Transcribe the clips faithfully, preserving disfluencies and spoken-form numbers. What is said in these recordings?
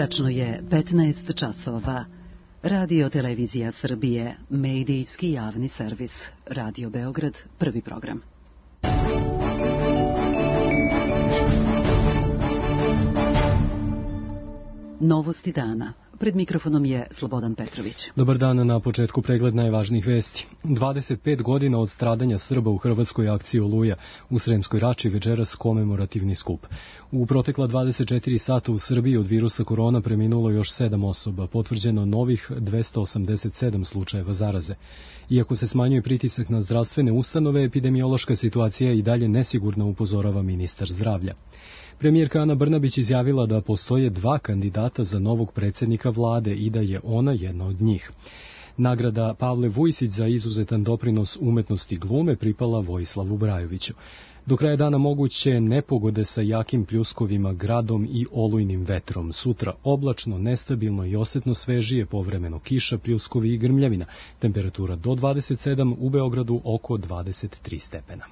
Tačno je petnaest časova. Radio Televizija Srbije, medijski javni servis. Radio Beograd, prvi program. Novosti dana. Pred mikrofonom je Slobodan Petrović. Dobar dan, na početku pregled najvažnijih vesti. dvadeset pet godina od stradanja Srba u hrvatskoj akciji Oluja. U Sremskoj Rači večeras komemorativni skup. U protekla dvadeset četiri sata u Srbiji od virusa korona preminulo još sedam osoba, potvrđeno novih dvesta osamdeset sedam slučajeva zaraze. Iako se smanjuje pritisak na zdravstvene ustanove, epidemiološka situacija je i dalje nesigurna, upozorava ministar zdravlja. Premijerka Ana Brnabić izjavila da postoje dva kandidata za novog predsjednika vlade i da je ona jedna od njih. Nagrada Pavle Vujsić za izuzetan doprinos umetnosti glume pripala Vojislavu Brajoviću. Do kraja dana moguće nepogode sa jakim pljuskovima, gradom i olujnim vetrom. Sutra oblačno, nestabilno i osetno svežije, povremeno kiša, pljuskovi i grmljavina. Temperatura do dvadeset sedam, u Beogradu oko dvadeset tri stepena.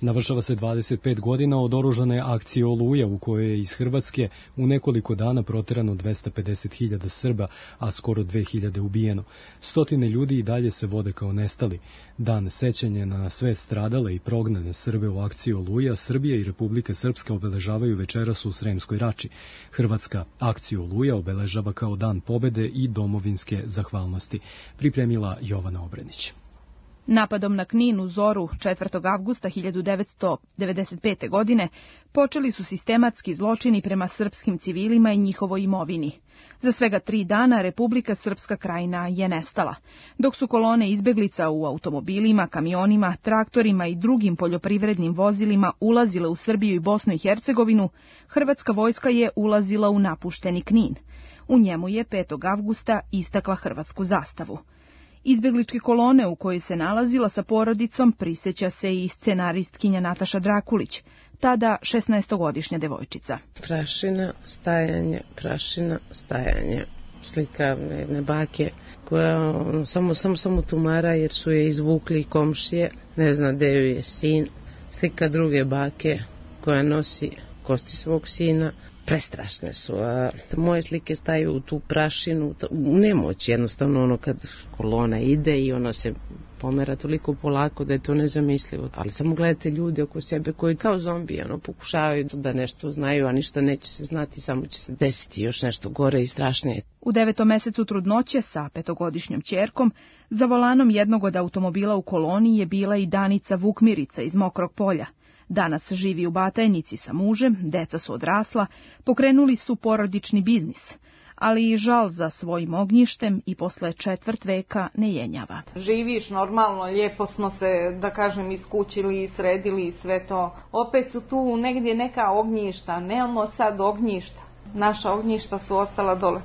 Navršava se dvadeset pet godina od oružane akcije Oluja, u kojoj je iz Hrvatske u nekoliko dana proterano dvesta pedeset hiljada Srba, a skoro dve hiljade ubijeno. Stotine ljudi i dalje se vode kao nestali. Dan sećanja na sve stradale i prognane Srbe u akciji Oluja, Srbija i Republika Srpska obeležavaju večeras u Sremskoj Rači. Hrvatska akciju Oluja obeležava kao dan pobede i domovinske zahvalnosti. Pripremila Jovana Obrenić. Napadom na Knin u zoru četvrtog avgusta hiljadu devetsto devedeset pete. godine počeli su sistematski zločini prema srpskim civilima i njihovoj imovini. Za svega tri dana Republika Srpska Krajina je nestala. Dok su kolone izbeglica u automobilima, kamionima, traktorima i drugim poljoprivrednim vozilima ulazile u Srbiju i Bosnu i Hercegovinu, hrvatska vojska je ulazila u napušteni Knin. U njemu je petog avgusta istakla hrvatsku zastavu. Izbegličke kolone u kojoj se nalazila sa porodicom prisjeća se i scenaristkinja Nataša Drakulić, tada šesnaestogodišnja devojčica. Prašina, stajanje, prašina, stajanje. Slika jedne bake koja samo, samo, samo tumara jer su je izvukli komšije, ne zna gde joj je sin. Slika druge bake koja nosi kosti svog sina. Prestrašne su, a moje slike staju u tu prašinu, u nemoć jednostavno, ono kad kolona ide i ono se pomera toliko polako da je to nezamislivo. Ali samo gledate ljude oko sebe koji kao zombi, ono, pokušavaju da nešto znaju, a ništa neće se znati, samo će se desiti još nešto gore i strašnije. U devetom mesecu trudnoće sa petogodišnjom ćerkom za volanom jednog od automobila u koloni je bila i Danica Vukmirica iz Mokrog Polja. Danas živi u Batajnici sa mužem, deca su odrasla, pokrenuli su porodični biznis, ali i žal za svojim ognjištem i posle četvrt veka ne jenjava. Živiš normalno, lijepo smo se, da kažem, iskućili i sredili i sve to. Opet su tu negdje neka ognjišta, nemamo sad ognjišta. Naša ognjišta su ostala dole.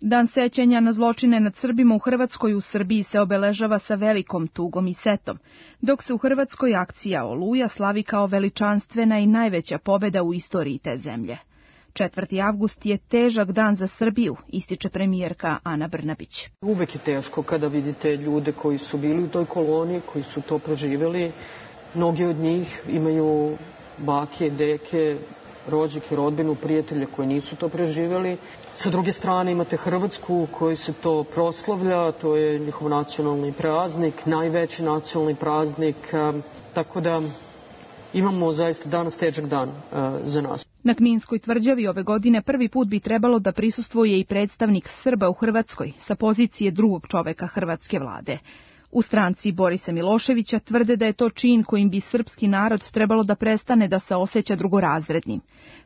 Dan sećanja na zločine nad Srbima u Hrvatskoj u Srbiji se obeležava sa velikom tugom i setom, dok se u Hrvatskoj akcija Oluja slavi kao veličanstvena i najveća pobjeda u istoriji te zemlje. četvrti avgust je težak dan za Srbiju, ističe premijerka Ana Brnabić. Uvek je teško kada vidite ljude koji su bili u toj koloni, koji su to proživjeli. Mnogi od njih imaju bake, deke, rođake, rodbinu, prijatelje koji nisu to preživjeli. Sa druge strane imate Hrvatsku u kojoj se to proslavlja, to je njihov nacionalni praznik, najveći nacionalni praznik, tako da imamo zaista danas težak dan za nas. Na Kninskoj tvrđavi ove godine prvi put bi trebalo da prisustvuje i predstavnik Srba u Hrvatskoj sa pozicije drugog čoveka hrvatske vlade. U stranci Borisa Miloševića tvrde da je to čin kojim bi srpski narod trebalo da prestane da se osjeća drugorazrednim.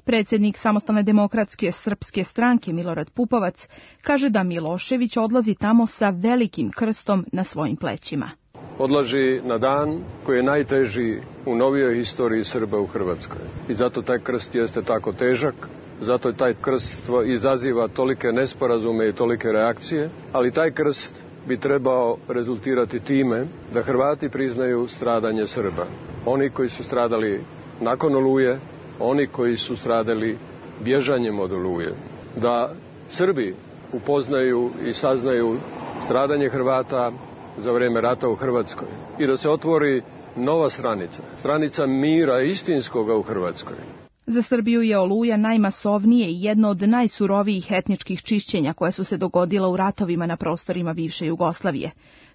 Predsjednik Samostalne demokratske srpske stranke Milorad Pupovac kaže da Milošević odlazi tamo sa velikim krstom na svojim plećima. Odlazi na dan koji je najteži u novijoj historiji Srba u Hrvatskoj. I zato taj krst jeste tako težak, zato taj krst izaziva tolike nesporazume i tolike reakcije, ali taj krst bi trebao rezultirati time da Hrvati priznaju stradanje Srba. Oni koji su stradali nakon Oluje, oni koji su stradali bježanjem od Oluje. Da Srbi upoznaju i saznaju stradanje Hrvata za vrijeme rata u Hrvatskoj i da se otvori nova stranica, stranica mira istinskoga u Hrvatskoj. Za Srbiju je Oluja najmasovnije i jedno od najsurovijih etničkih čišćenja koja su se dogodila u ratovima na prostorima bivše Jugoslavije.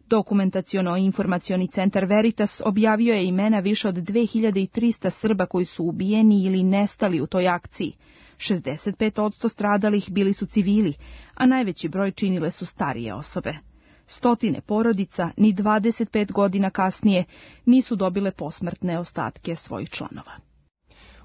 Dokumentaciono-informacioni centar Veritas objavio je imena više od dve hiljade trista Srba koji su ubijeni ili nestali u toj akciji. šezdeset pet posto stradalih bili su civili, a najveći broj činile su starije osobe. Stotine porodica, ni dvadeset pet godina kasnije, nisu dobile posmrtne ostatke svojih članova.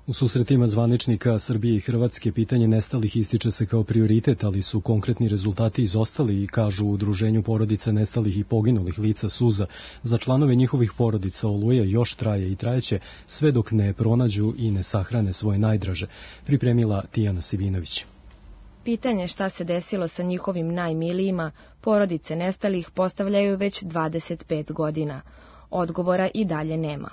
U susretima zvaničnika Srbije i Hrvatske pitanje nestalih ističe se kao prioritet, ali su konkretni rezultati izostali i kažu u Udruženju porodica nestalih i poginulih lica Suza. Za članove njihovih porodica Oluja još traje i trajeće sve dok ne pronađu i ne sahrane svoje najdraže, pripremila Tijana Sivinović. Pitanje šta se desilo sa njihovim najmilijima, porodice nestalih postavljaju već dvadeset pet godina. Odgovora i dalje nema.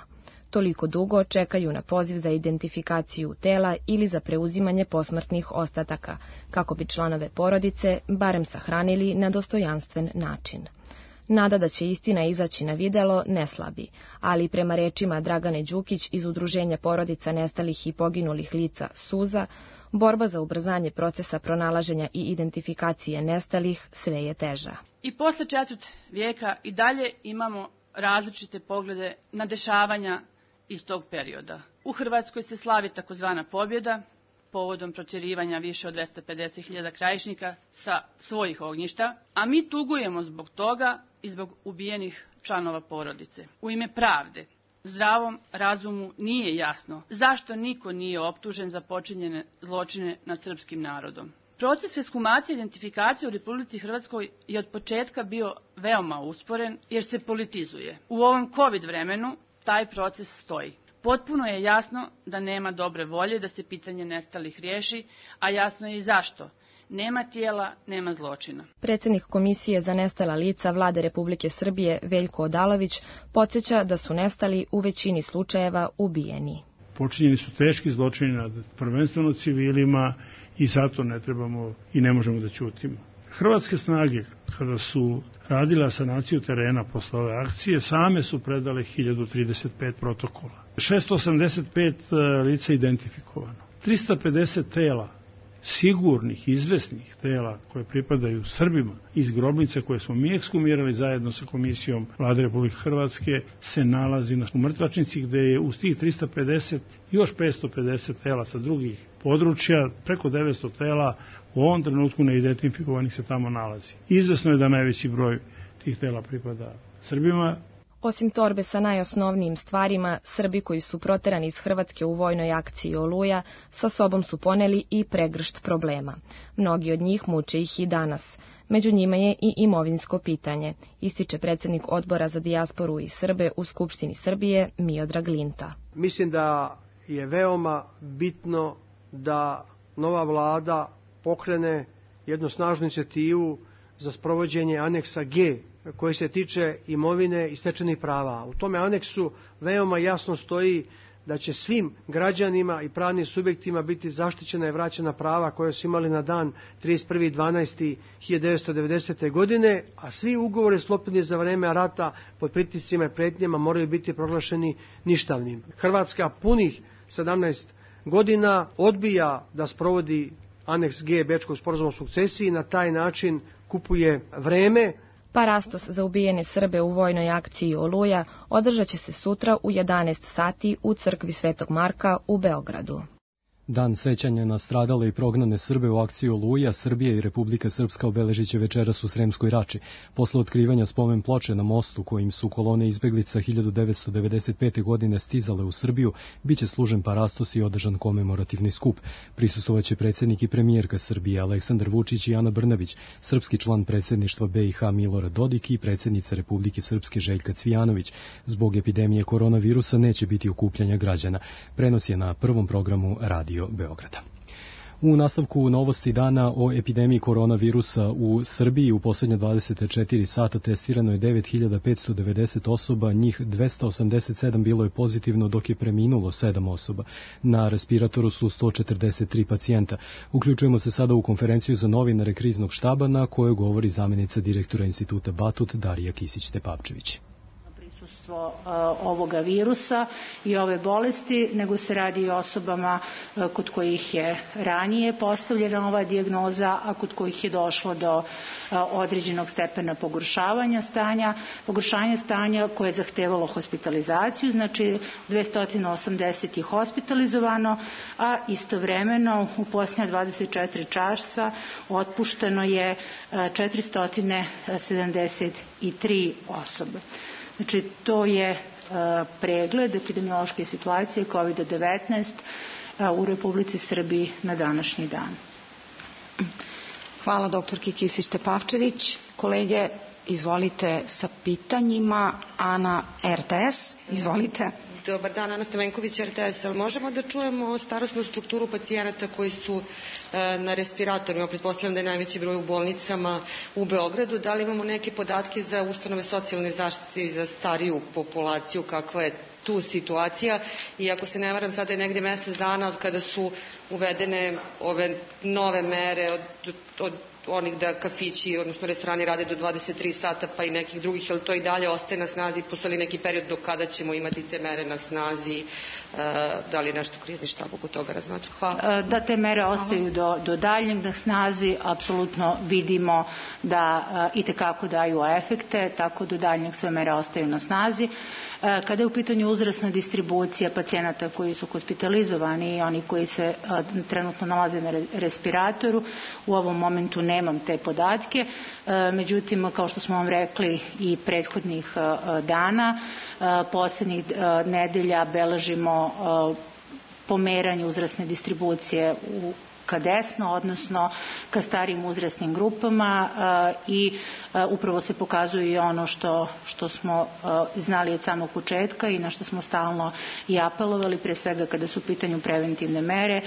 Toliko dugo čekaju na poziv za identifikaciju tela ili za preuzimanje posmrtnih ostataka, kako bi članove porodice barem sahranili na dostojanstven način. Nada da će istina izaći na videlo ne slabi, ali prema rečima Dragane Đukić iz Udruženja porodica nestalih i poginulih lica Suza, borba za ubrzanje procesa pronalaženja i identifikacije nestalih sve je teža. I posle četvrt vijeka i dalje imamo različite poglede na dešavanja iz tog perioda. U Hrvatskoj se slavi takozvana pobjeda, povodom protjerivanja više od dvesta pedeset hiljada krajišnika sa svojih ognjišta, a mi tugujemo zbog toga i zbog ubijenih članova porodice. U ime pravde, zdravom razumu nije jasno zašto niko nije optužen za počinjene zločine nad srpskim narodom. Proces ekshumacije i identifikacije u Republici Hrvatskoj je od početka bio veoma usporen jer se politizuje. U ovom COVID vremenu taj proces stoji. Potpuno je jasno da nema dobre volje da se pitanje nestalih riješi, a jasno je i zašto. Nema tijela, nema zločina. Predsjednik Komisije za nestala lica Vlade Republike Srbije Veljko Odalović podsjeća da su nestali u većini slučajeva ubijeni. Počinjeni su teški zločini nad prvenstveno civilima i zato ne trebamo i ne možemo da ćutimo. Hrvatske snage, kada su radile sanaciju terena posle ove akcije, same su predale hiljadu trideset pet protokola. šesto osamdeset pet lica identifikovano. trista pedeset tela, sigurnih, izvesnih tela koje pripadaju Srbima iz grobnice koje smo mi ekshumirali zajedno sa Komisijom Vlade Republike Hrvatske, se nalazi na mrtvačnici gde je uz tih trista pedeset još petsto pedeset tela sa drugih područja, preko devetsto tela u ovom trenutku neidentifikovanih se tamo nalazi. Izvesno je da najveći broj tih tela pripada Srbima. Osim torbe sa najosnovnijim stvarima, Srbi koji su proterani iz Hrvatske u vojnoj akciji Oluja sa sobom su poneli i pregršt problema. Mnogi od njih muče ih i danas. Među njima je i imovinsko pitanje, ističe predsjednik Odbora za dijasporu i Srbe u Skupštini Srbije Miodrag Linta. Mislim da je veoma bitno da nova vlada pokrene jednu snažnu inicijativu za sprovođenje aneksa G koji se tiče imovine i stečenih prava. U tome aneksu veoma jasno stoji da će svim građanima i pravnim subjektima biti zaštićena i vraćena prava koje su imali na dan trideset prvi decembar hiljadu devetsto devedesete. godine, a svi ugovori sklopljeni za vreme rata pod pritiscima i pretnjama moraju biti proglašeni ništavnim. Hrvatska punih sedamnaest godina odbija da sprovodi aneks G Bečkog sporazuma o sukcesiji i na taj način kupuje vreme. Parastos za ubijene Srbe u vojnoj akciji Oluja održat će se sutra u jedanaest sati u crkvi Svetog Marka u Beogradu. Dan sećanja na stradale i prognane Srbe u akciji Oluja, Srbija i Republika Srpska obeležit će večeras u Sremskoj Rači. Posle otkrivanja spomen ploče na mostu kojim su kolone izbeglica hiljadu devetsto devedeset pete. godine stizale u Srbiju, biće služen parastos i održan komemorativni skup. Prisustvovaće predsjednik i premijerka Srbije Aleksandar Vučić i Ana Brnabić, srpski član predsjedništva B i H Milorad Dodik i predsjednica Republike Srpske Željka Cvijanović. Zbog epidemije koronavirusa neće biti okupljanja građana. Prenos je na prvom programu Radio Beograda. U nastavku novosti dana o epidemiji koronavirusa u Srbiji u posljednje dvadeset četiri sata testirano je devet hiljada petsto devedeset osoba, njih dvesta osamdeset sedam bilo je pozitivno dok je preminulo sedam osoba. Na respiratoru su sto četrdeset tri pacijenta. Uključujemo se sada u konferenciju za novinare kriznog štaba na kojoj govori zamjenica direktora instituta Batut Darija Kisić-Tepavčević. vlasništvo ovoga virusa i ove bolesti, nego se radi i o osobama kod kojih je ranije postavljena ova dijagnoza, a kod kojih je došlo do određenog stepena pogoršavanja stanja, pogoršanja stanja koje je zahtevalo hospitalizaciju, znači dvesta osamdeset je hospitalizovano, a istovremeno u posljednja dvadeset četiri časa otpušteno je četiristo sedamdeset tri osobe. Znači to je pregled epidemiološke situacije kovid devetnaest u Republici Srbiji na današnji dan. Hvala doktorki Kisić Tepavčević. Kolege, izvolite sa pitanjima. Ana, R T S, izvolite. Dobar dan, Ana Stamenković, R T S. Ali možemo da čujemo starosnu strukturu pacijenata koji su e, na respiratorima? Pretpostavljam da je najveći broj u bolnicama u Beogradu. Da li imamo neke podatke za ustanove socijalne zaštite i za stariju populaciju? Kakva je tu situacija? I ako se ne varam, sada je negde mesec dana od kada su uvedene ove nove mere od, od onih da kafići, odnosno restorani rade do dvadeset tri sata, pa i nekih drugih, ali to i dalje ostaje na snazi? Postoji li neki period do kada ćemo imati te mere na snazi? Da li je nešto krizni štab oko toga razmatra? Hvala. Da te mere ostaju do, do daljnjeg na snazi, apsolutno vidimo da itekako daju efekte, tako do daljnjeg sve mere ostaju na snazi. Kada je u pitanju uzrasna distribucija pacijenata koji su hospitalizovani i oni koji se trenutno nalaze na respiratoru, u ovom momentu nemam te podatke, međutim, kao što smo vam rekli i prethodnih dana, posljednjih nedelja beležimo pomeranje uzrasne distribucije u ka desno, odnosno ka starijim uzrasnim grupama i upravo se pokazuje i ono što, što smo znali od samog početka i na što smo stalno i apelovali, pre svega kada su u pitanju preventivne mere.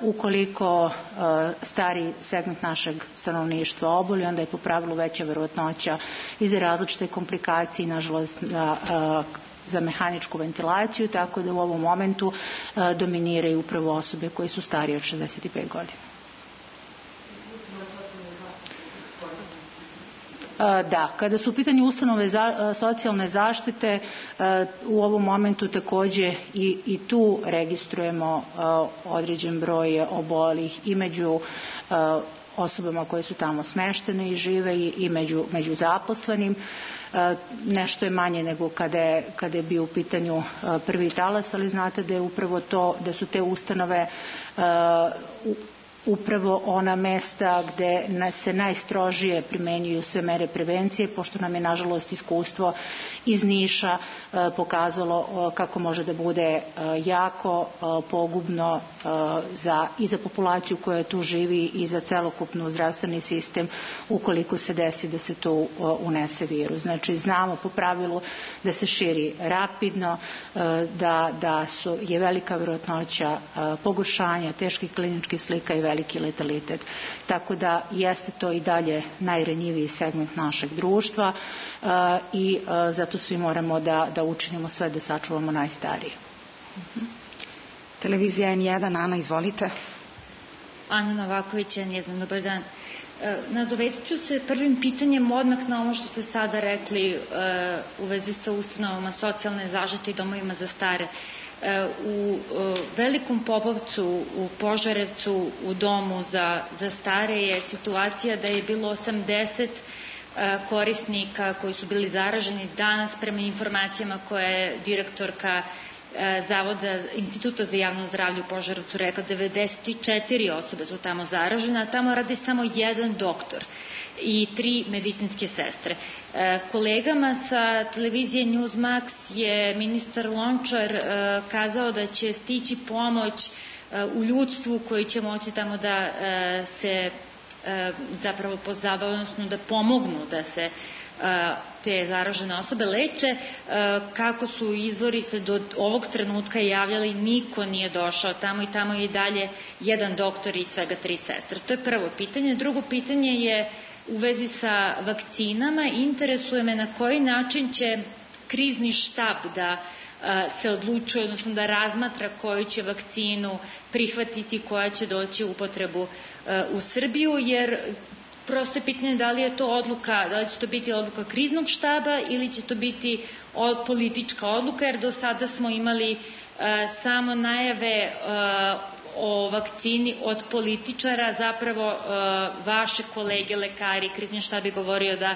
Ukoliko stari segment našeg stanovništva oboli, onda je po pravilu veća verovatnoća i za različite komplikacije, nažalost za mehaničku ventilaciju, tako da u ovom momentu a, dominiraju upravo osobe koje su starije od šezdeset pet godina. A, da, kada su u pitanju ustanove za, a, socijalne zaštite, a, u ovom momentu takođe i, i tu registrujemo a, određen broj obolih i među a, osobama koje su tamo smeštene i žive i, i među, među zaposlenim. Nešto je manje nego kada je, kada je bio u pitanju prvi talas, ali znate da je upravo to, da su te ustanove uh, upravo ona mesta gde se najstrožije primenjuju sve mere prevencije, pošto nam je nažalost iskustvo iz Niša pokazalo kako može da bude jako pogubno za, i za populaciju koja tu živi i za celokupnu zdravstveni sistem ukoliko se desi da se tu unese virus. Znači znamo po pravilu da se širi rapidno, da, da su, je velika verovatnoća pogoršanja, teških kliničkih slika i veliki letalitet. Tako da jeste to i dalje najranjiviji segment našeg društva uh, i uh, zato svi moramo da, da učinimo sve da sačuvamo najstarije. Uh-huh. Televizija N jedan, Ana, izvolite. Ana Novaković, N jedan, dobar dan. Nadovezat ću se prvim pitanjem odmah na ono što ste sada rekli uh, u vezi sa ustanovama socijalne zaštite i domovima za stare. U Velikom Popovcu, u Požarevcu, u domu za, za stare je situacija da je bilo osamdeset korisnika koji su bili zaraženi. Danas, prema informacijama koje je direktorka Zavoda Instituta za javno zdravlje u Požarevcu rekla, devedeset četiri osobe su tamo zaražene, a tamo radi samo jedan doktor i tri medicinske sestre. Kolegama sa televizije Newsmax je ministar Lončar kazao da će stići pomoć u ljudstvu koji će moći tamo da se zapravo pozabave, odnosno da pomognu da se te zaražene osobe leče. Kako su izvori se do ovog trenutka javljali, niko nije došao tamo i tamo je i dalje jedan doktor i svega tri sestre. To je prvo pitanje. Drugo pitanje je u vezi sa vakcinama. Interesuje me na koji način će krizni štab da se odlučuje, odnosno da razmatra koju će vakcinu prihvatiti, koja će doći u upotrebu u Srbiju, jer prosto je pitanje da li je to odluka, da li će to biti odluka kriznog štaba ili će to biti politička odluka, jer do sada smo imali samo najave o vakcini od političara, zapravo vaše kolege, lekari, krizni štab je govorio da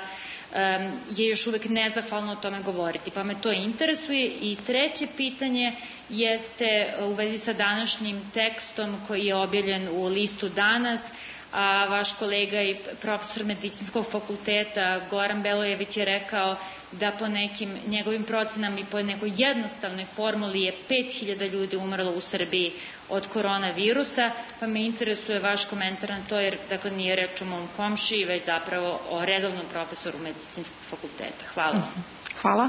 je još uvek nezahvalno o tome govoriti, pa me to interesuje. I treće pitanje jeste u vezi sa današnjim tekstom koji je objavljen u listu Danas, a vaš kolega i profesor medicinskog fakulteta Goran Belojević je rekao da po nekim njegovim procenama i po nekoj jednostavnoj formuli je pet hiljada ljudi umrlo u Srbiji od koronavirusa, pa me interesuje vaš komentar na to, jer dakle nije reč o mom komšiji, već zapravo o redovnom profesoru medicinskog fakulteta. Hvala. Hvala.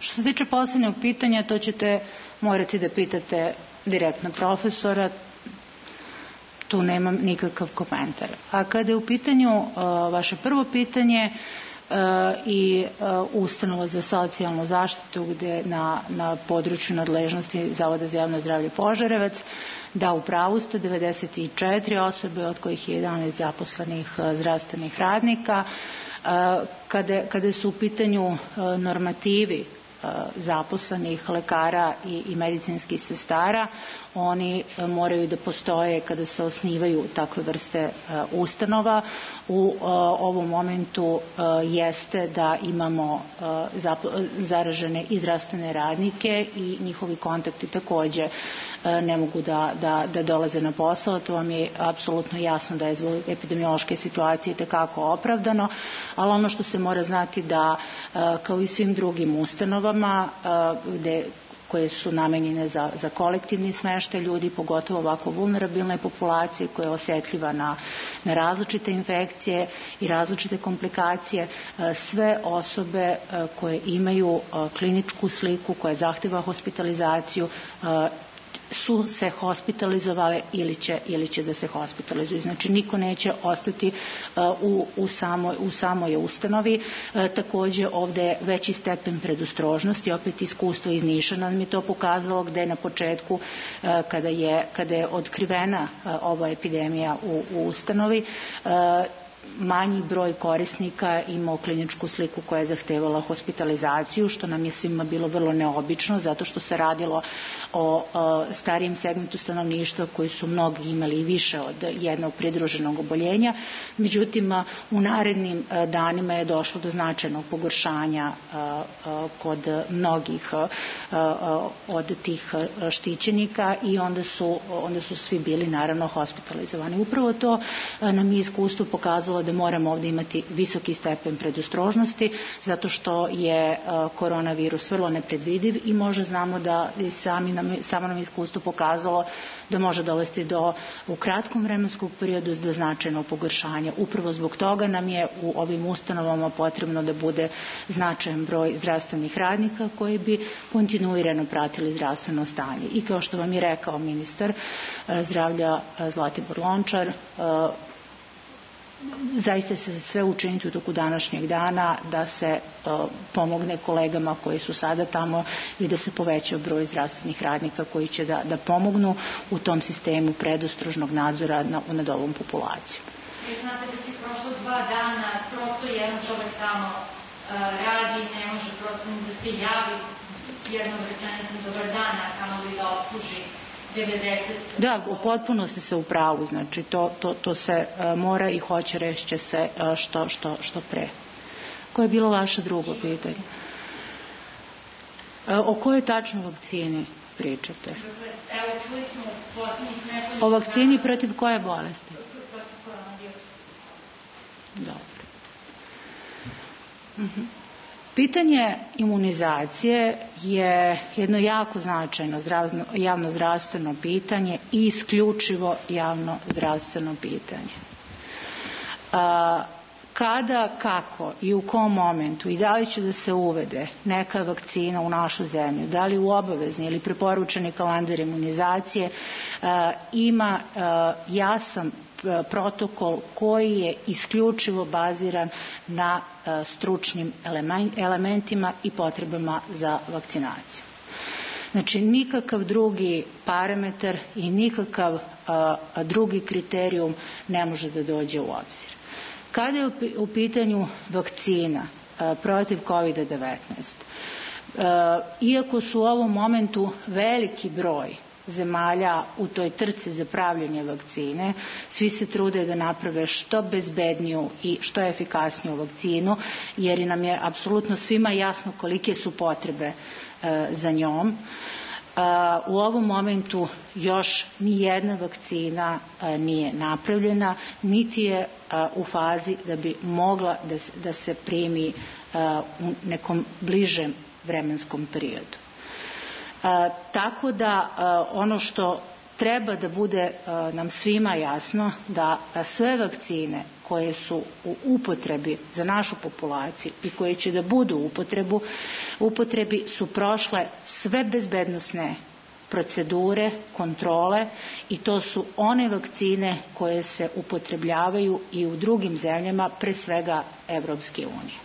Što se tiče poslednjeg pitanja, to ćete morati da pitate direktno profesora, tu nemam nikakav komentar. A kada je u pitanju uh, vaše prvo pitanje uh, i uh, ustanova za socijalnu zaštitu gde na, na području nadležnosti Zavoda za javno zdravlje Požarevac, da, u pravu ste, devedeset četiri osobe, od kojih je jedanaest zaposlenih uh, zdravstvenih radnika. Uh, kada, kada su u pitanju uh, normativi zaposlenih lekara i, i medicinskih sestara, oni moraju da postoje kada se osnivaju takve vrste uh, ustanova. U uh, ovom momentu uh, jeste da imamo uh, zaražene i zdravstvene radnike i njihovi kontakti takođe uh, ne mogu da, da, da dolaze na posao. To vam je apsolutno jasno da je zbog epidemiološke situacije tekako opravdano, ali ono što se mora znati da uh, kao i svim drugim ustanovama uh, gde koje su namenjene za, za kolektivni smeštaj ljudi, pogotovo ovako vulnerabilne populacije koja je osetljiva na, na različite infekcije i različite komplikacije. Sve osobe koje imaju kliničku sliku koja zahteva hospitalizaciju su se hospitalizovale ili će, ili će da se hospitalizuju. Znači, niko neće ostati uh, u, u, samoj, u samoj ustanovi. Uh, takođe, ovde je veći stepen predostrožnosti, opet iskustvo iz Niša nam je to pokazalo, gde na početku, uh, kada, je, kada je otkrivena uh, ova epidemija u, u ustanovi, uh, manji broj korisnika imao kliničku sliku koja je zahtevala hospitalizaciju, što nam je svima bilo vrlo neobično, zato što se radilo o, o starijem segmentu stanovništva koji su mnogi imali i više od jednog pridruženog oboljenja. Međutim, u narednim danima je došlo do značajnog pogoršanja a, a, kod mnogih a, a, od tih štićenika i onda su, onda su svi bili naravno hospitalizovani. Upravo to a, nam je iskustvo pokazalo da moramo ovdje imati visoki stepen predostrožnosti, zato što je koronavirus vrlo nepredvidiv i možda znamo da sami nam, samo nam iskustvo pokazalo da može dovesti do, u kratkom vremenskom periodu do značajnog pogoršanja. Upravo zbog toga nam je u ovim ustanovama potrebno da bude značajan broj zdravstvenih radnika koji bi kontinuirano pratili zdravstveno stanje. I kao što vam je rekao ministar zdravlja Zlatibor Lončar, zaista se sve učiniti u toku današnjeg dana da se uh, pomogne kolegama koji su sada tamo i da se poveća broj zdravstvenih radnika koji će da, da pomognu u tom sistemu predostrožnog nadzora na, nad ovom populacijom. Vi znate da će prošlo dva dana prosto jedan čovek tamo uh, radi, ne može prosto da se javi jednom rečenicom dobar dan, a tamo li da obsluži devedeset. Da, u potpunosti se u pravu, znači to, to, to se uh, mora i hoće reći se uh, što, što, što pre. Koje je bilo vaše drugo pitanje? Uh, o kojoj tačno vakcini pričate? Evo, čuli smo poslednjih nekoliko... O vakcini protiv koje bolesti? Protiv koronavirusa. Dobro. Mhm. Pitanje imunizacije je jedno jako značajno zdravstveno, javno zdravstveno pitanje i isključivo javno zdravstveno pitanje. A, kada, kako i u kom momentu i da li će da se uvede neka vakcina u našu zemlju, da li u obavezni ili preporučeni kalendar imunizacije, a, ima a, jasan protokol koji je isključivo baziran na uh, stručnim elementima i potrebama za vakcinaciju. Znači, nikakav drugi parametar i nikakav uh, drugi kriterijum ne može da dođe u obzir. Kada je u pitanju vakcina protiv kovid devetnaest, iako su u ovom momentu veliki broj zemalja u toj trci za pravljenje vakcine, svi se trude da naprave što bezbedniju i što efikasniju vakcinu, jer nam je apsolutno svima jasno kolike su potrebe za njom. U ovom momentu još ni jedna vakcina nije napravljena, niti je u fazi da bi mogla da se primi u nekom bližem vremenskom periodu. Tako da ono što treba da bude nam svima jasno, da sve vakcine koje su u upotrebi za našu populaciju i koje će da budu u upotrebu, upotrebi su prošle sve bezbednosne procedure, kontrole, i to su one vakcine koje se upotrebljavaju i u drugim zemljama, pre svega Evropske unije.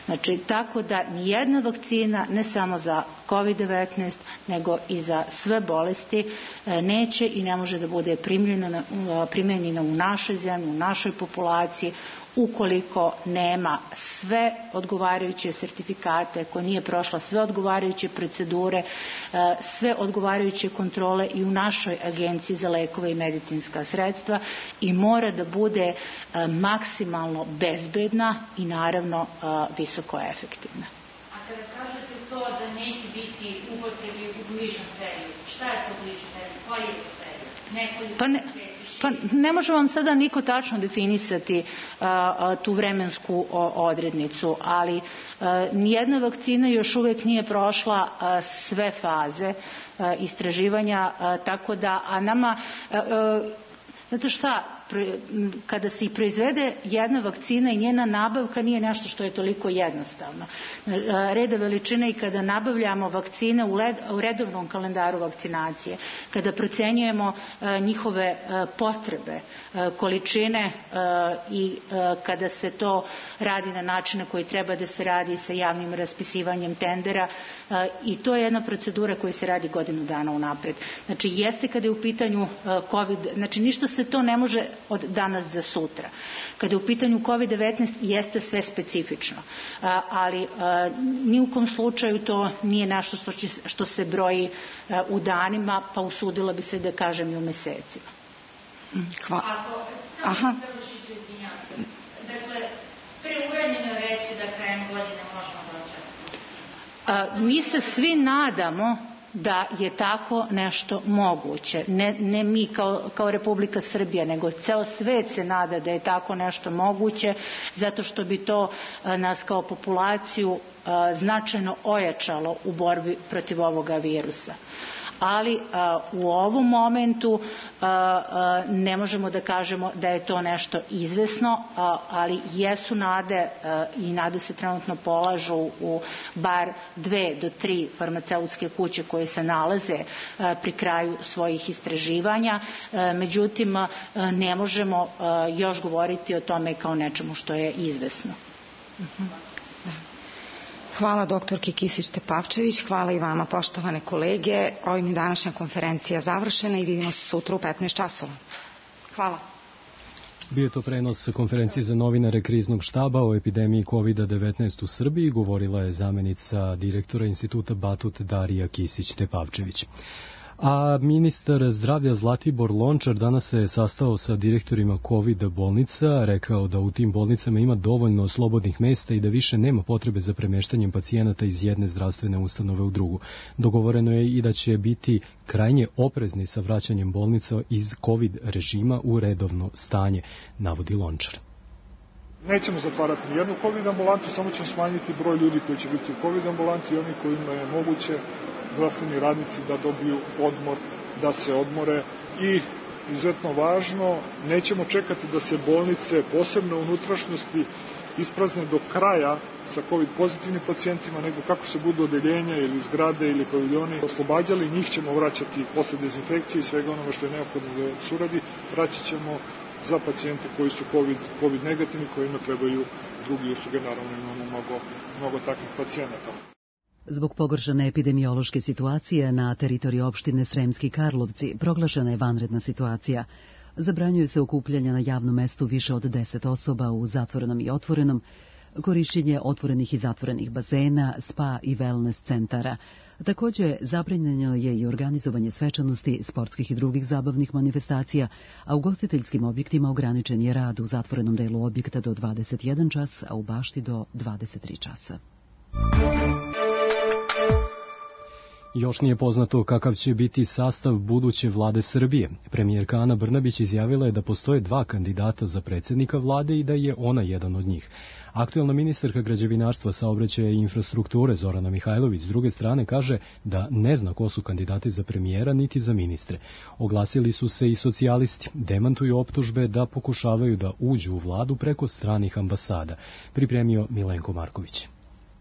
Znači, tako da nijedna vakcina, ne samo za kovid devetnaest, nego i za sve bolesti, neće i ne može da bude primjenjena u našoj zemlji, u našoj populaciji, ukoliko nema sve odgovarajuće sertifikate, ako nije prošla sve odgovarajuće procedure, sve odgovarajuće kontrole i u našoj Agenciji za lekove i medicinska sredstva, i mora da bude maksimalno bezbedna i naravno visoko efektivna. A kada kažete to da neće biti upotrebi u bližem periodu, šta je to bližem periodu? Koji je to period? Nekoliko pa ne, pa ne može vam sada niko tačno definisati a, a, tu vremensku o, odrednicu, ali a, nijedna vakcina još uvek nije prošla a, sve faze a, istraživanja, a, tako da, a nama, a, a, znate šta, kada se i proizvede jedna vakcina i njena nabavka nije nešto što je toliko jednostavno. Reda veličine i kada nabavljamo vakcine u redovnom kalendaru vakcinacije, kada procenjujemo njihove potrebe, količine i kada se to radi na način na koji treba da se radi sa javnim raspisivanjem tendera, i to je jedna procedura koja se radi godinu dana unapred. Znači, jeste kada je u pitanju COVID, znači ništa se to ne može od danas za sutra. Kada je u pitanju kovid devetnaest, jeste sve specifično, ali ni u kom slučaju to nije nešto što, će, što se broji u danima, pa usudila bi se da kažem i u mesecima. Hvala. Aha. Dakle, preuranjeno reći da krajem godine možemo dočekati. Mi se svi nadamo da je tako nešto moguće. Ne, ne mi kao, kao Republika Srbija, nego ceo svet se nada da je tako nešto moguće, zato što bi to a, nas kao populaciju a, značajno ojačalo u borbi protiv ovoga virusa. Ali a, u ovom momentu a, a, ne možemo da kažemo da je to nešto izvesno, a, ali jesu nade a, i nade se trenutno polažu u bar dve do tri farmaceutske kuće koje se nalaze a, pri kraju svojih istraživanja. A, međutim, a, ne možemo a, još govoriti o tome kao nečemu što je izvesno. Uh-huh. Hvala doktorki Kisić-Tepavčević, hvala i vama poštovane kolege. Ovim je današnja konferencija završena i vidimo se sutra u petnaest časova. Hvala. Bio je to prenos konferencije za novinare Kriznog štaba o epidemiji kovid devetnaest u Srbiji. Govorila je zamenica direktora instituta Batut Darija Kisić-Tepavčević. A ministar zdravlja Zlatibor Lončar danas se sastao sa direktorima COVID bolnica, rekao da u tim bolnicama ima dovoljno slobodnih mesta i da više nema potrebe za premeštanjem pacijenata iz jedne zdravstvene ustanove u drugu. Dogovoreno je i da će biti krajnje oprezni sa vraćanjem bolnica iz COVID režima u redovno stanje, navodi Lončar. Nećemo zatvarati nijednu COVID ambulantu, samo ćemo smanjiti broj ljudi koji će biti u COVID ambulanti i oni kojima je moguće zdravstveni radnici da dobiju odmor, da se odmore. I izuzetno važno, nećemo čekati da se bolnice, posebno u unutrašnjosti, isprazne do kraja sa COVID pozitivnim pacijentima, nego kako se budu odeljenja ili zgrade ili paviljoni oslobađali, njih ćemo vraćati posle dezinfekcije i svega onoga što je neophodno da se uradi, vraćat ćemo za pacijente koji su COVID, COVID negativni, kojima trebaju drugi usluge, naravno imamo mnogo, mnogo takvih pacijenata. Zbog pogoršane epidemiološke situacije na teritoriji opštine Sremski Karlovci proglašena je vanredna situacija. Zabranjuje se okupljanje na javnom mestu više od deset osoba u zatvorenom i otvorenom, korišćenje otvorenih i zatvorenih bazena, spa i wellness centara. Također, zabranjeno je i organizovanje svečanosti, sportskih i drugih zabavnih manifestacija, a u ugostiteljskim objektima ograničen je rad u zatvorenom delu objekta do dvadeset jedan čas, a u bašti do dvadeset tri časa. Još nije poznato kakav će biti sastav buduće vlade Srbije. Premijerka Ana Brnabić izjavila je da postoje dva kandidata za predsjednika vlade i da je ona jedan od njih. Aktuelna ministarka građevinarstva, saobraćaja i infrastrukture Zorana Mihajlović s druge strane kaže da ne zna ko su kandidati za premijera niti za ministre. Oglasili su se i socijalisti, demantuju optužbe da pokušavaju da uđu u vladu preko stranih ambasada. Pripremio Milenko Marković.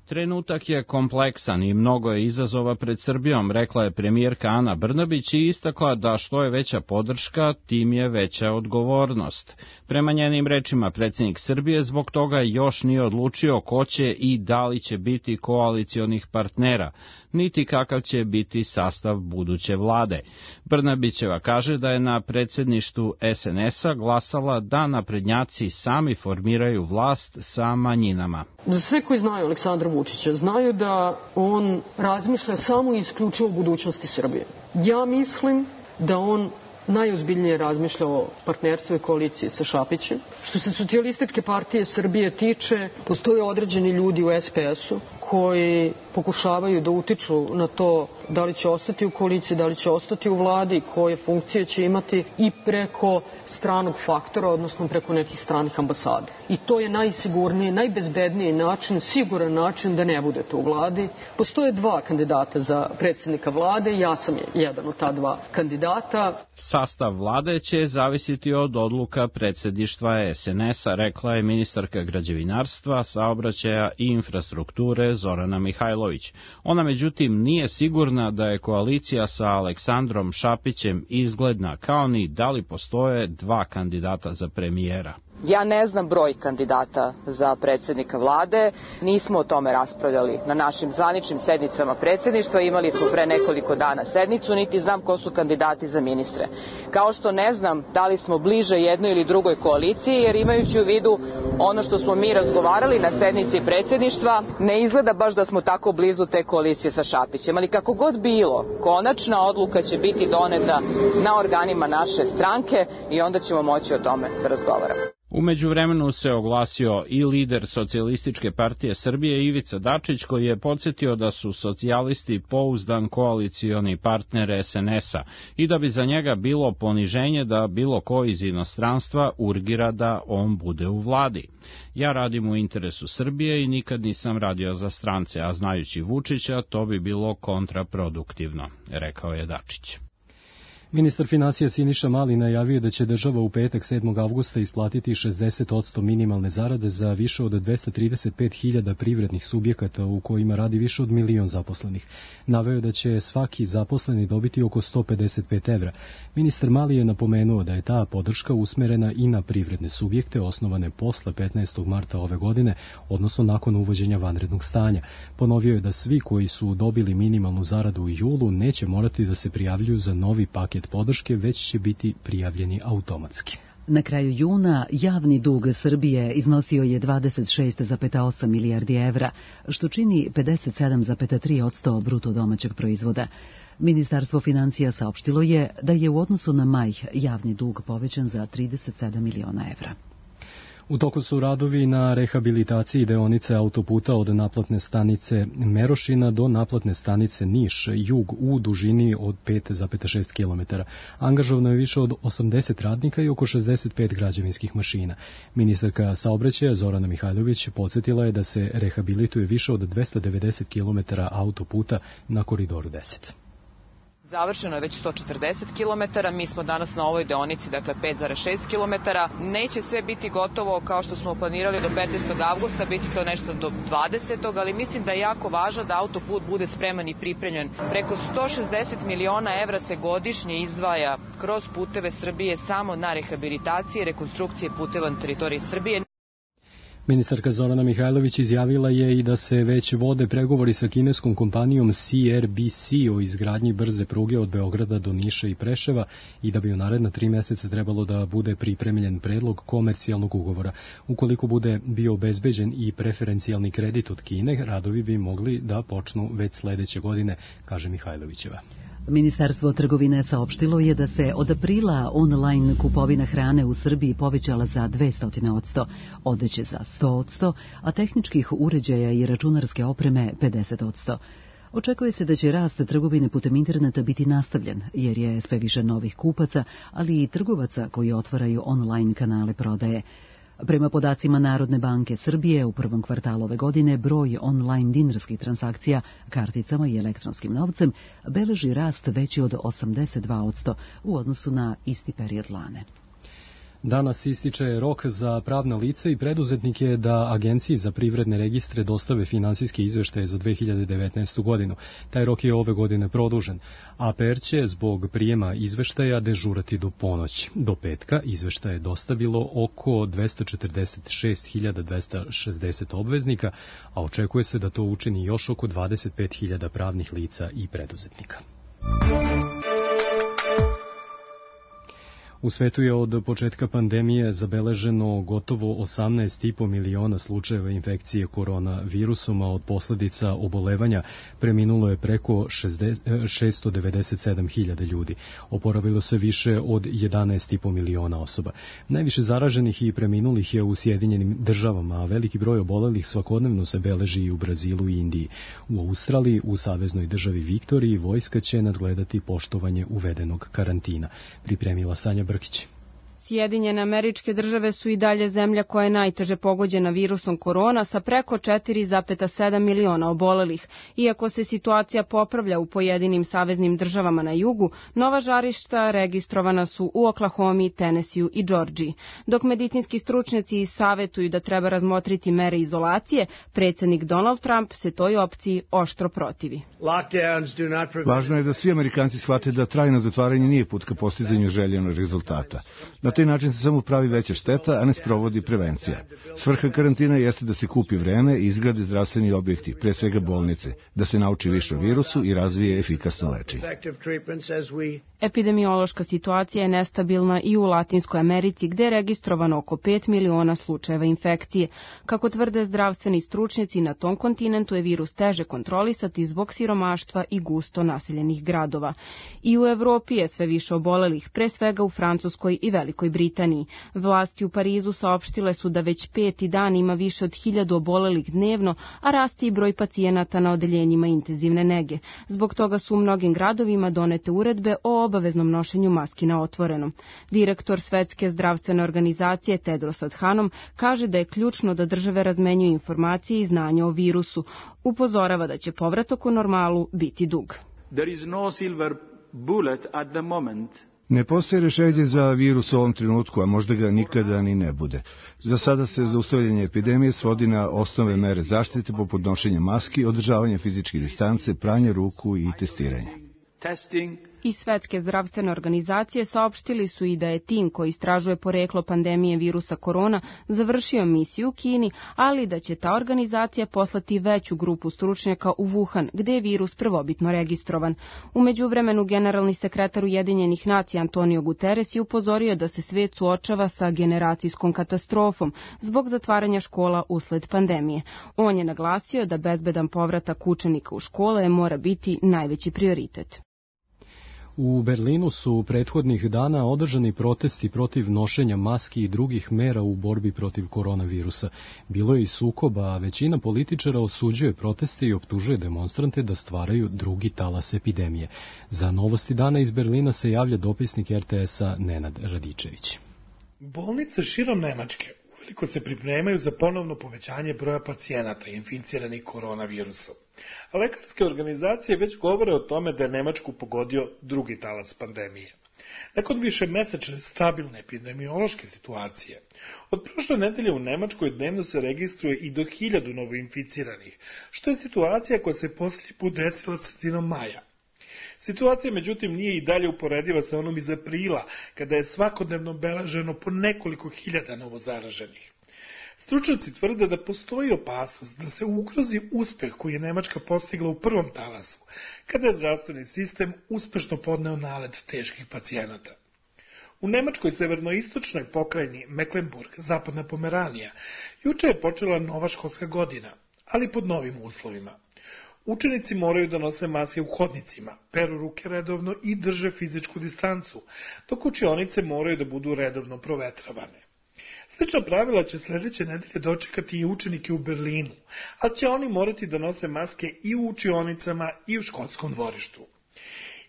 Trenutak je kompleksan i mnogo je izazova pred Srbijom, rekla je premijerka Ana Brnabić i istakla da što je veća podrška, tim je veća odgovornost. Prema njenim rečima, predsjednik Srbije zbog toga još nije odlučio ko će i da li će biti koalicionih partnera, niti kakav će biti sastav buduće vlade. Brnabićeva kaže da je na predsjedništvu es en es a glasala da naprednjaci sami formiraju vlast sa manjinama. Za sve koji znaju Aleksandra Vučića, znaju da on razmišlja samo i isključivo o budućnosti Srbije. Ja mislim da on najozbiljnije razmišlja o partnerstvu i koaliciji sa Šapićem. Što se Socijalističke partije Srbije tiče, postoje određeni ljudi u es pe es u koji pokušavaju da utiču na to da li će ostati u koaliciji, da li će ostati u vladi, koje funkcije će imati i preko stranog faktora, odnosno preko nekih stranih ambasada. I to je najsigurniji, najbezbedniji način, siguran način da ne budete u vladi. Postoje dva kandidata za predsjednika vlade i ja sam jedan od ta dva kandidata. Sastav vlade će zavisiti od odluka predsjedništva es en es a, rekla je ministarka građevinarstva, saobraćaja i infrastrukture Zorana Mihajlović. Ona međutim nije sigurna da je koalicija sa Aleksandrom Šapićem izgledna, kao ni da li postoje dva kandidata za premijera. Ja ne znam broj kandidata za predsjednika vlade, nismo o tome raspravljali na našim zvaničnim sednicama predsjedništva, imali smo pre nekoliko dana sednicu, niti znam ko su kandidati za ministre. Kao što ne znam da li smo bliže jednoj ili drugoj koaliciji, jer imajući u vidu ono što smo mi razgovarali na sednici predsjedništva, ne izgleda baš da smo tako blizu te koalicije sa Šapićem, ali kako god bilo, konačna odluka će biti doneta na organima naše stranke i onda ćemo moći o tome da razgovaramo. U međuvremenu se oglasio i lider Socijalističke partije Srbije Ivica Dačić, koji je podsjetio da su socijalisti pouzdan koalicioni partner es en es a i da bi za njega bilo poniženje da bilo ko iz inostranstva urgira da on bude u vladi. Ja radim u interesu Srbije i nikad nisam radio za strance, a znajući Vučića to bi bilo kontraproduktivno, rekao je Dačić. Ministar financija Siniša Mali najavio da će država u petak sedmog avgusta isplatiti šezdeset posto minimalne zarade za više od dvesta trideset pet hiljada privrednih subjekata u kojima radi više od milion zaposlenih. Naveo da će svaki zaposleni dobiti oko sto pedeset pet evra. Ministar Mali je napomenuo da je ta podrška usmerena i na privredne subjekte osnovane posle petnaestog marta ove godine, odnosno nakon uvođenja vanrednog stanja. Ponovio je da svi koji su dobili minimalnu zaradu u julu neće morati da se prijavljuju za novi paket podrške, već će biti prijavljeni automatski. Na kraju juna javni dug Srbije iznosio je dvadeset šest zarez osam milijardi evra, što čini pedeset sedam zarez tri posto bruto domaćeg proizvoda. Ministarstvo financija saopštilo je da je u odnosu na maj javni dug povećan za trideset sedam miliona evra. U toku su radovi na rehabilitaciji deonice autoputa od naplatne stanice Merošina do naplatne stanice Niš, jug, u dužini od pet zarez šest kilometara. Angažovano je više od osamdeset radnika i oko šezdeset pet građevinskih mašina. Ministarka saobraćaja Zorana Mihajlović podsjetila je da se rehabilituje više od dvesta devedeset kilometara autoputa na Koridoru deset. Završeno je već sto četrdeset kilometara, mi smo danas na ovoj deonici, dakle pet zarez šest kilometara. Neće sve biti gotovo kao što smo planirali do petnaestog avgusta, bit će to nešto do dvadesetog ali mislim da je jako važno da autoput bude spreman i pripremljen. Preko sto šezdeset miliona evra se godišnje izdvaja kroz puteve Srbije samo na rehabilitacije i rekonstrukcije puteva na teritoriji Srbije. Ministarka Zorana Mihajlović izjavila je i da se već vode pregovori sa kineskom kompanijom C R B C o izgradnji brze pruge od Beograda do Niša i Preševa i da bi u naredna tri meseca trebalo da bude pripremljen predlog komercijalnog ugovora. Ukoliko bude bio obezbeđen i preferencijalni kredit od Kine, radovi bi mogli da počnu već sledeće godine, kaže Mihajlovićeva. Ministarstvo trgovine saopštilo je da se od aprila online kupovina hrane u Srbiji povećala za dvesta posto, odeće za sto posto, a tehničkih uređaja i računarske opreme pedeset posto. Očekuje se da će rast trgovine putem interneta biti nastavljen, jer je sve više novih kupaca, ali i trgovaca koji otvaraju online kanale prodaje. Prema podacima Narodne banke Srbije, u prvom kvartalu ove godine broj online dinarskih transakcija karticama i elektronskim novcem beleži rast veći od osamdeset dva posto u odnosu na isti period lane. Danas ističe rok za pravna lica i preduzetnike da Agenciji za privredne registre dostave finansijske izveštaje za dve hiljade devetnaestu. godinu. Taj rok je ove godine produžen. A P R će zbog prijema izveštaja dežurati do ponoći. Do petka izveštaje je dostavilo oko dvesta četrdeset šest hiljada dvesta šezdeset obveznika, a očekuje se da to učini još oko dvadeset pet hiljada pravnih lica i preduzetnika. U svetu je od početka pandemije zabeleženo gotovo osamnaest i po miliona slučajeva infekcije koronavirusom, a od posledica obolevanja preminulo je preko šesto devedeset sedam hiljada ljudi. Oporavilo se više od jedanaest i po miliona osoba. Najviše zaraženih i preminulih je u Sjedinjenim državama, a veliki broj obolelih svakodnevno se beleži i u Brazilu i Indiji. U Australiji, u saveznoj državi Viktoriji, vojska će nadgledati poštovanje uvedenog karantina. Pripremila Sanja Brkić. Sjedinjene Američke Države su i dalje zemlja koja je najteže pogođena virusom korona sa preko četiri zarez sedam miliona obolelih. Iako se situacija popravlja u pojedinim saveznim državama na jugu, nova žarišta registrovana su u Oklahomi, Tenesiju i Džordžiji. Dok medicinski stručnjaci savetuju da treba razmotriti mere izolacije, predsjednik Donald Trump se toj opciji oštro protivi. Važno je da svi Amerikanci shvate da trajno zatvaranje nije put ka postizanju željenog rezultata. Na taj način se samo pravi veća šteta, a ne sprovodi prevencija. Svrha karantina jeste da se kupi vreme i izgrade zdravstveni objekti, pre svega bolnice, da se nauči više o virusu i razvije efikasno lečenje. Epidemiološka situacija je nestabilna i u Latinskoj Americi, gde je registrovano oko pet miliona slučajeva infekcije. Kako tvrde zdravstveni stručnjaci, na tom kontinentu je virus teže kontrolisati zbog siromaštva i gusto naseljenih gradova. I u Evropi je sve više obolelih, pre svega u Francuskoj i Velikoj Britaniji. Vlasti u Parizu saopštile su da već peti dan ima više od hiljadu obolelih dnevno, a raste i broj pacijenata na odeljenjima intenzivne nege. Zbog toga su u mnogim gradovima donete uredbe o obaveznom nošenju maski na otvorenom. Direktor Svetske zdravstvene organizacije Tedros Adhanom kaže da je ključno da države razmenjuju informacije i znanja o virusu. Upozorava da će povratak u normalu biti dug. There is no silver bullet at the moment. Ne postoji rešenje za virus u ovom trenutku, a možda ga nikada ni ne bude. Za sada se zaustavljanje epidemije svodi na osnovne mere zaštite poput nošenja maski, održavanja fizičke distance, pranja ruku i testiranja. I Svetske zdravstvene organizacije saopštili su i da je tim koji istražuje poreklo pandemije virusa korona završio misiju u Kini, ali da će ta organizacija poslati veću grupu stručnjaka u Wuhan, gde je virus prvobitno registrovan. U međuvremenu generalni sekretar Ujedinjenih nacija Antonio Guterres je upozorio da se svet suočava sa generacijskom katastrofom zbog zatvaranja škola usled pandemije. On je naglasio da bezbedan povratak učenika u škole mora biti najveći prioritet. U Berlinu su prethodnih dana održani protesti protiv nošenja maski i drugih mera u borbi protiv koronavirusa. Bilo je i sukoba, a većina političara osuđuje proteste i optužuje demonstrante da stvaraju drugi talas epidemije. Za Novosti dana iz Berlina se javlja dopisnik R T S-a Nenad Radičević. Bolnice širom Nemačke uveliko se pripremaju za ponovno povećanje broja pacijenata inficiranih koronavirusom. A lekarske organizacije već govore o tome da je Nemačku pogodio drugi talas pandemije. Nakon višemesečne stabilne epidemiološke situacije, od prošle nedelje u Nemačkoj dnevno se registruje i do hiljadu novoinficiranih, što je situacija koja se posljednji put desila sredinom maja. Situacija, međutim, nije i dalje uporediva sa onom iz aprila, kada je svakodnevno beleženo po nekoliko hiljada novozaraženih. Stručnjaci tvrde da postoji opasnost da se ugrozi uspeh koji je Nemačka postigla u prvom talasu, kada je zdravstveni sistem uspešno podneo nalet teških pacijenata. U Nemačkoj severnoistočnoj pokrajini Mecklenburg, zapadna Pomeranija, juče je počela nova školska godina, ali pod novim uslovima. Učenici moraju da nose maske u hodnicima, peru ruke redovno i drže fizičku distancu, dok učionice moraju da budu redovno provetravane. Slična pravila će sljedeće nedelje dočekati i učenike u Berlinu, a će oni morati da nose maske i u učionicama i u školskom dvorištu.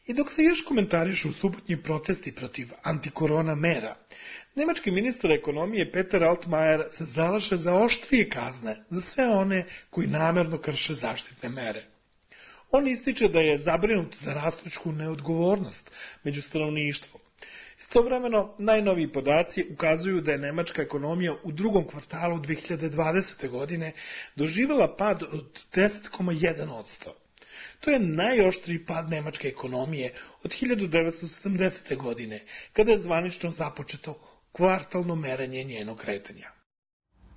I dok se još komentarišu subotnji protesti protiv antikorona mera, nemački ministar ekonomije Peter Altmaier se zalaže za oštrije kazne za sve one koji namerno krše zaštitne mere. On ističe da je zabrinut za rastuću neodgovornost među stanovništvom. Istovremeno, najnoviji podaci ukazuju da je nemačka ekonomija u drugom kvartalu dve hiljade dvadesete. godine doživjela pad od deset zarez jedan posto. To je najoštriji pad nemačke ekonomije od hiljadu devetsto sedamdesete. godine, kada je zvanično započeto kvartalno merenje njenog kretanja.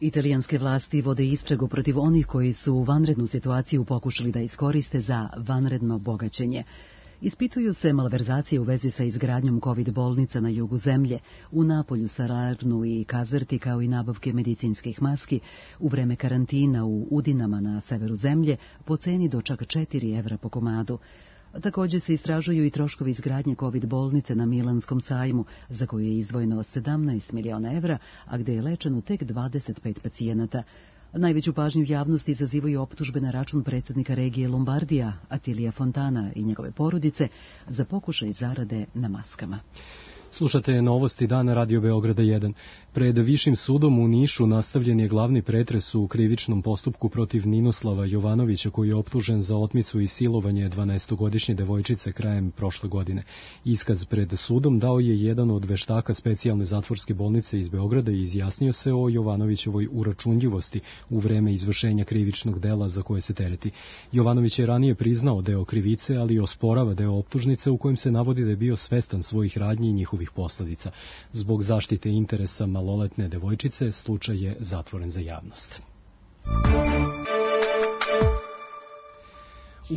Italijanske vlasti vode istragu protiv onih koji su vanrednu situaciju pokušali da iskoriste za vanredno bogaćenje. Ispituju se malverzacije u vezi sa izgradnjom COVID bolnica na jugu zemlje, u Napolju, Salernu i Kazerti, kao i nabavke medicinskih maski u vreme karantina u Udinama na severu zemlje po ceni do čak četiri evra po komadu. Također se istražuju i troškovi izgradnje COVID bolnice na Milanskom sajmu, za koju je izdvojeno sedamnaest miliona evra, a gde je lečeno tek dvadeset pet pacijenata. Najveću pažnju javnosti izazivaju optužbe na račun predsjednika regije Lombardija, Attilija Fontana i njegove porodice, za pokušaj zarade na maskama. Slušate novosti dana Radio Beograda jedan. Pred Višim sudom u Nišu nastavljen je glavni pretres u krivičnom postupku protiv Ninoslava Jovanovića, koji je optužen za otmicu i silovanje dvanaestogodišnje devojčice krajem prošle godine. Iskaz pred sudom dao je jedan od veštaka specijalne zatvorske bolnice iz Beograda i izjasnio se o Jovanovićevoj uračunljivosti u vreme izvršenja krivičnog dela za koje se tereti. Jovanović je ranije priznao deo krivice, ali osporava deo optužnice u kojem se navodi da je bio svestan svojih radnji i njihovih posledica. Zbog zaštite interesa maloletne devojčice, slučaj je zatvoren za javnost.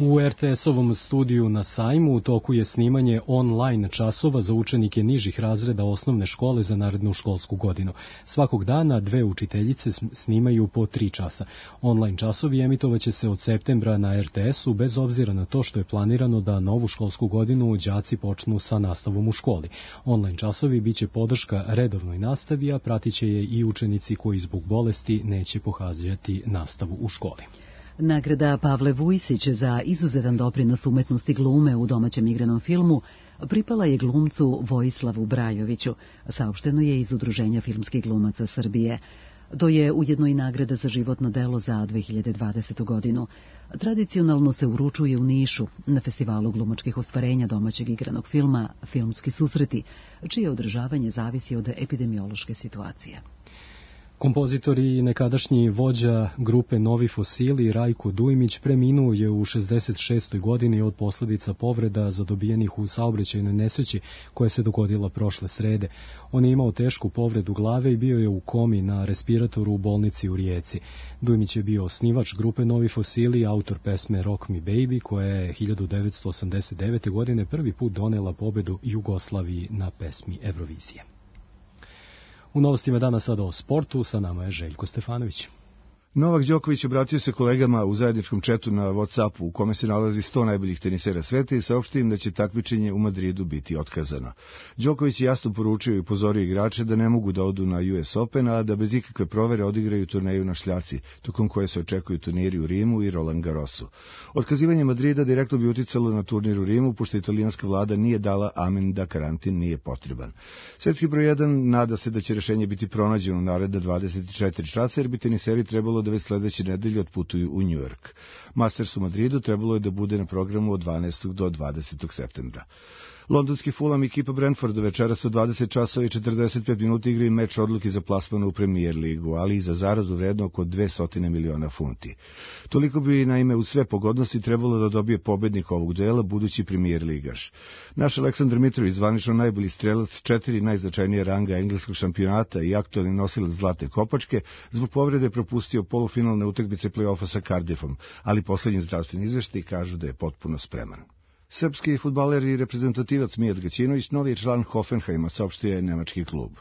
U er te es-ovom studiju na Sajmu u toku je snimanje online časova za učenike nižih razreda osnovne škole za narednu školsku godinu. Svakog dana dve učiteljice snimaju po tri časa. Online časovi emitovaće se od septembra na er te es-u, bez obzira na to što je planirano da novu školsku godinu đaci počnu sa nastavom u školi. Online časovi biće podrška redovnoj nastavi, a pratit će je i učenici koji zbog bolesti neće pohađati nastavu u školi. Nagrada Pavle Vujsić za izuzetan doprinos umetnosti glume u domaćem igranom filmu pripala je glumcu Vojislavu Brajoviću, saopšteno je iz Udruženja filmskih glumaca Srbije. To je ujedno i nagrada za životno delo za dve hiljade dvadesetu. godinu. Tradicionalno se uručuje u Nišu, na festivalu glumačkih ostvarenja domaćeg igranog filma Filmski susreti, čije održavanje zavisi od epidemiološke situacije. Kompozitor i nekadašnji vođa grupe Novi fosili Rajko Dujmić preminuo je u šezdeset šestoj godini od posljedica povreda zadobijenih u saobraćajnoj nesreći koja se dogodila prošle srede. On je imao tešku povredu glave i bio je u komi na respiratoru u bolnici u Rijeci. Dujmić je bio osnivač grupe Novi fosili, autor pesme Rock Me Baby, koja je hiljadu devetsto osamdeset devete. godine prvi put donela pobedu Jugoslaviji na pesmi Eurovizije. U novostima dana sada o sportu, sa nama je Željko Stefanović. Novak Đoković obratio se kolegama u zajedničkom četu na WhatsAppu u kome se nalazi sto najboljih tenisera sveta i saopštio im da će takmičenje u Madridu biti otkazano. Đoković je jasno poručio i upozorio igrače da ne mogu da odu na U S Open, a da bez ikakve provere odigraju turneju na šljaci, tokom koje se očekuju turniri u Rimu i Roland Garrosu. Otkazivanje Madrida direktno bi uticalo na turnir u Rimu, pošto italijanska vlada nije dala amen da karantin nije potreban. Svetski broj jedan nada se da će rešenje biti pronađeno naredna dvadeset četiri časa, jer bi teniseri trebalo da već sledeće nedelje otputuju u New York. Masters u Madridu trebalo je da bude na programu od dvanaestog do dvadesetog septembra. Londonski Fulham i ekipa Brentforda večeras od dvadeset časova i četrdeset pet minuta igraju meč odluke za plasman u Premier ligu, ali i za zaradu vredno oko dvesta miliona funti. Toliko bi naime uz sve pogodnosti trebalo da dobije pobednik ovog duela, budući Premier ligaš. Naš Aleksandar Mitrović, zvanično najbolji strelac četiri najznačajnije ranga engleskog šampionata i aktualni nosilac zlate kopačke, zbog povrede propustio polufinalne utakmice play-offa sa Cardiffom, ali poslednji zdravstveni izveštaj kažu da je potpuno spreman. Srpski fudbaler i reprezentativac Mijat Gaćinović novi je član Hoffenheima, saopštio je nemački klub.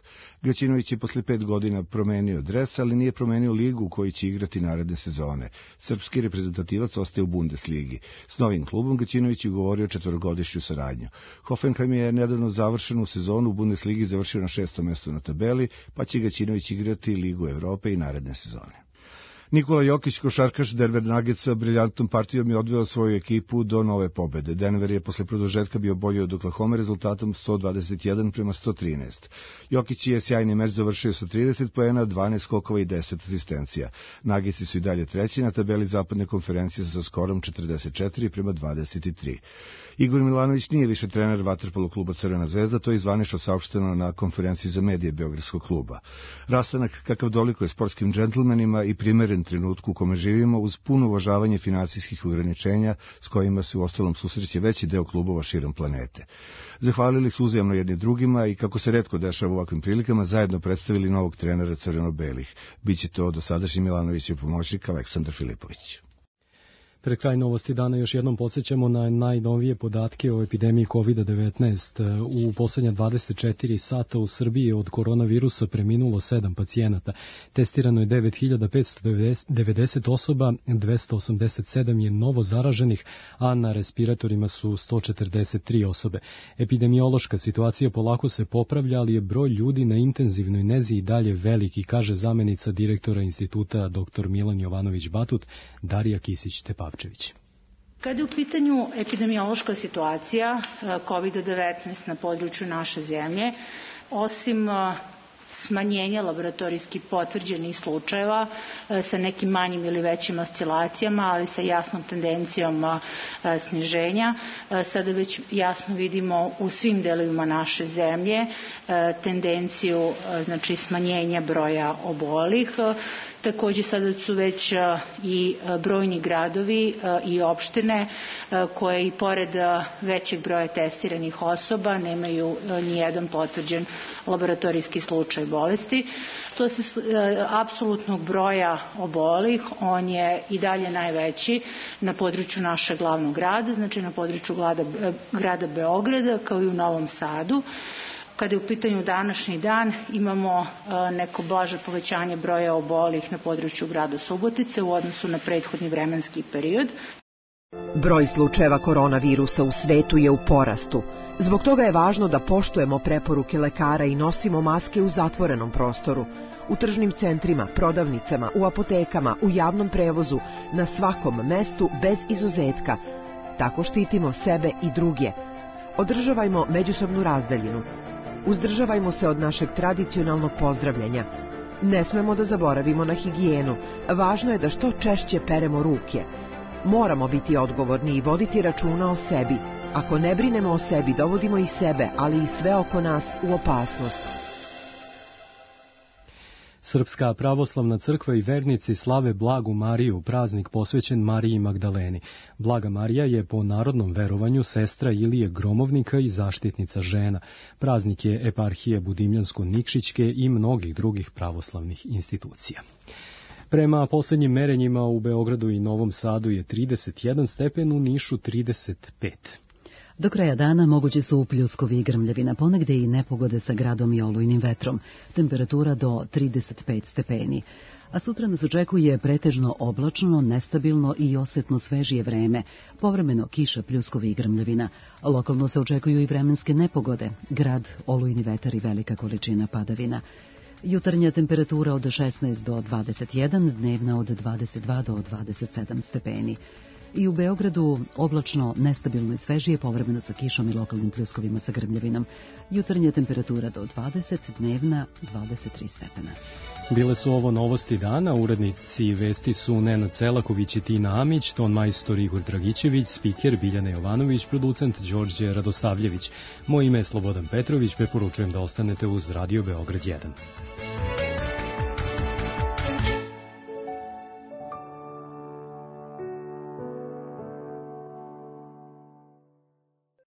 Gaćinović je posle pet godina promenio dres, ali nije promenio ligu u kojoj će igrati naredne sezone. Srpski reprezentativac ostaje u Bundesligi. S novim klubom Gaćinović je ugovorio četvorogodišnju saradnju. Hoffenheim je nedavno završenu sezonu u Bundesligi završio na šestom mestu na tabeli, pa će Gaćinović igrati Ligu Evrope i naredne sezone. Nikola Jokić, košarkaš Denver Nuggetsa, briljantnom partijom je odveo svoju ekipu do nove pobede. Denver je posle produžetka bio bolji od Oklahoma rezultatom sto dvadeset jedan prema sto trinaest. Jokić je sjajni meč završio sa trideset poena, dvanaest skokova i deset asistencija. Nuggetsi su i dalje treći na tabeli zapadne konferencije sa skorom četrdeset četiri prema dvadeset tri. Igor Milanović nije više trener vaterpolo kluba Crvena zvezda, to je zvanično saopšteno na konferenciji za medije Beogradskog kluba. Rastanak kakav dolikuje sportskim džentlmenima i primeren trenutku u kome živimo uz puno uvažavanje finansijskih ograničenja s kojima se u ostalom susreće veći deo klubova širom planete. Zahvalili su uzajamno jedni drugima i, kako se retko dešava u ovakvim prilikama, zajedno predstavili novog trenera crveno-belih. Biće to dosadašnji Milanovićev pomoćnik Aleksandar Filipović. Pred kraj novosti dana još jednom podsjećamo na najnovije podatke o epidemiji kovid devetnaest. U poslednja dvadeset četiri sata u Srbiji od koronavirusa preminulo sedam pacijenata. Testirano je devet hiljada petsto devedeset osoba, dvesta osamdeset sedam je novo zaraženih, a na respiratorima su sto četrdeset tri osobe. Epidemiološka situacija polako se popravlja, ali je broj ljudi na intenzivnoj nezi i dalje veliki, kaže zamenica direktora instituta dr Milan Jovanović Batut, Darija Kisić-Tepavčević. Kada je u pitanju epidemiološka situacija kovid devetnaest na području naše zemlje, osim smanjenja laboratorijski potvrđenih slučajeva sa nekim manjim ili većim oscilacijama, ali sa jasnom tendencijom sniženja, sada već jasno vidimo u svim delovima naše zemlje tendenciju, znači, smanjenja broja obolih. Takođe sada su već i brojni gradovi i opštine koje i pored većeg broja testiranih osoba nemaju ni jedan potvrđen laboratorijski slučaj bolesti. Što se apsolutnog broja obolih, on je i dalje najveći na području našeg glavnog grada, znači na području grada, grada Beograda, kao i u Novom Sadu. Kada je u pitanju današnji dan, imamo neko blaže povećanje broja obolih na području grada Subotice u odnosu na prethodni vremenski period. Broj slučajeva koronavirusa u svetu je u porastu. Zbog toga je važno da poštujemo preporuke lekara i nosimo maske u zatvorenom prostoru, u tržnim centrima, prodavnicama, u apotekama, u javnom prevozu, na svakom mestu bez izuzetka. Tako štitimo sebe i druge. Održavajmo međusobnu razdaljinu. Uzdržavajmo se od našeg tradicionalnog pozdravljanja. Ne smemo da zaboravimo na higijenu. Važno je da što češće peremo ruke. Moramo biti odgovorni i voditi računa o sebi. Ako ne brinemo o sebi, dovodimo i sebe, ali i sve oko nas u opasnost. Srpska pravoslavna crkva i vernici slave Blagu Mariju, praznik posvećen Mariji Magdaleni. Blaga Marija je po narodnom verovanju sestra Ilije Gromovnika i zaštitnica žena. Praznik je eparhije Budimljansko-Nikšićke i mnogih drugih pravoslavnih institucija. Prema poslednjim merenjima u Beogradu i Novom Sadu je trideset jedan stepen, u Nišu trideset pet. Do kraja dana mogući su pljuskovi i grmljavina, ponegde i nepogode sa gradom i olujnim vetrom. Temperatura do trideset pet stepeni. A sutra nas očekuje pretežno oblačno, nestabilno i osetno svežije vreme. Povremeno kiša, pljuskovi i grmljavina. Lokalno se očekuju i vremenske nepogode. Grad, olujni vetar i velika količina padavina. Jutarnja temperatura od šesnaest do dvadeset jedan, dnevna od dvadeset dva do dvadeset sedam stepeni. I u Beogradu oblačno, nestabilno i svežije, povremeno sa kišom i lokalnim pljuskovima sa grmljavinom. Jutarnja temperatura do dvadeset, dnevna dvadeset tri stepena. Bile su ovo novosti dana, urednici vesti su Nenad Celaković i Tina Amić, ton majstor Igor Dragićević, spiker Biljana Jovanović, producent Đorđe Radosavljević. Moje ime je Slobodan Petrović, preporučujem da ostanete uz Radio Beograd jedan.